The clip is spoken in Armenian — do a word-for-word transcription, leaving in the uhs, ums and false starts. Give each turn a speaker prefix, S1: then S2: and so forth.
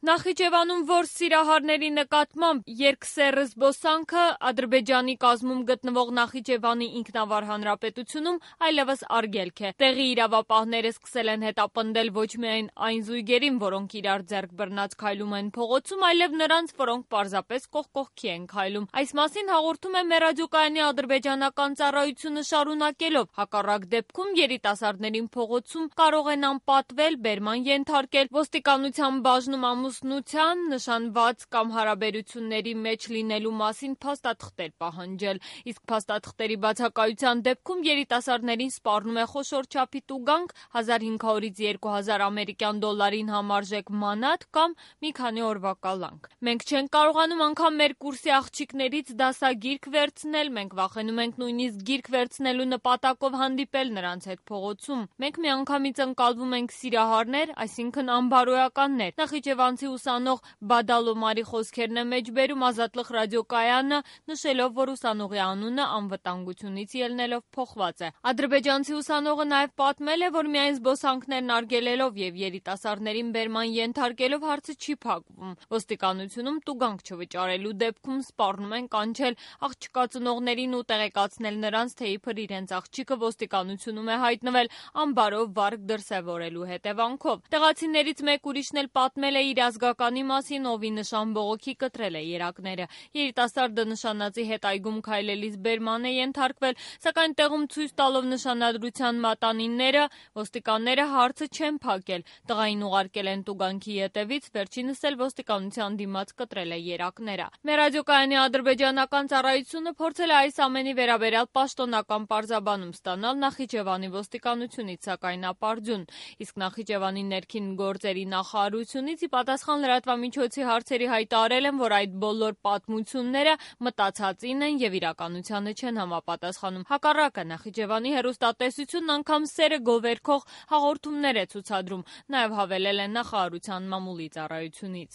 S1: Նախիջևանում, որ սիրահարների նկատմամբ երկսեռ զբոսանքը Ադրբեջանի կազմում գտնվող Նախիջևանի ինքնավար հանրապետությունում այլևս արգելք է։ Տեղի իրավապահները սկսել են հետապնդել ոչ միայն այն զույգերին, որոնք իրար ձեռք բռնած քայլում են փողոցում, այլև նրանց, որոնք պարզապես կողք կողքի են քայլում։ Այս մասին հաղորդում է մեր ռադիոկայանի ադրբեջանական ծառայությունը, շարունակելով. հակառակ դեպքում երիտասարդներին փողոցում կարող են անպատվել, բերման ենթարկել, ոստիկանության բաժնում ամուսնության, նշանված կամ հարաբերությունների մեջ լինելու մասին փաստաթղթեր պահանջել, իսկ փաստաթղթերի բացակայության դեպքում երիտասարդներին սպառնում է խոշոր չափի տուգանք հազար հինգ հարյուրից երկու հազար ամերիկյան դոլարին համարժեք մանաթ կամ մի քանի օրվա կալանք։ Մենք չենք կարողանում անգամ մեր կուրսի աղջիկներից դասագիրք վերցնել, մենք վախենում ենք նույնիսկ գիրք վերցնելու նպատակով հանդիպել նրանց հետ փողոցում։ Մենք միանգամից ընկալվում ենք սիրահարներ, այսինքն անբարոյականներ։ Նախիջևանցի ուսանող Բադալոմարի խոսքերն է մեջբերում Ազատլıq ռադիոկայանը, նշելով, որ ուսանողի անունը անվտանգությունից ելնելով փոխված է։ Ադրբեջանցի ուսանողը նաև պատմել է, որ միայն զբոսանքներն արգելելով եւ երիտասարդներին բերման ենթարկելով հարցը չի փակվում։ Ոստիկանությունում տուգանք չվճարելու դեպքում սպառնում են կանչել աղջկա ծնողներին ու տեղեկացնել նրանց, թե իբր իրենց աղջիկը ոստիկանությունում է հայտնվել անբարո վարք դրսևորելու հետևանքով։ Տեղացիներից մեկ ուրիշն էլ պատմել է իր ազգականի մասին, ով ի նշան բողոքի կտրել է երակները։ Երիտասարդը նշանածի հետ այգում քայլելիս բերման է ենթարկվել, սակայն տեղում ցույց տալով նշանադրության մատանիները, ոստիկանները հարցը չեն փակել։ Տղային ուղարկել են տուգանքի ետևից, վերջինս էլ ոստիկանության դիմաց կտրել է երակները։ Մեր ռադիոկայանի ադրբեջանական ծառայությունը փորձել է այս ամենի վերաբերյալ պաշտոնական պարզաբանում ստանալ Նախիջևանի ոստիկանությունից, սակայն ապարդյուն։ Իսկ Նախիջևանի ներքին գործերի նախարարությունից ի պատասխան լրատվամիջոցի հարցերի հայտարարել են, որ այդ բոլոր պատմությունները մտածածին են եւ իրականությանը չեն համապատասխանում։ Հակառակը, Նախիջևանի հեռուստատեսությունն անգամ սերը գովերքող հաղորդումներ է ցուցադրում, նաեւ հավելել են նախարարության մամուլի ծառայությունից։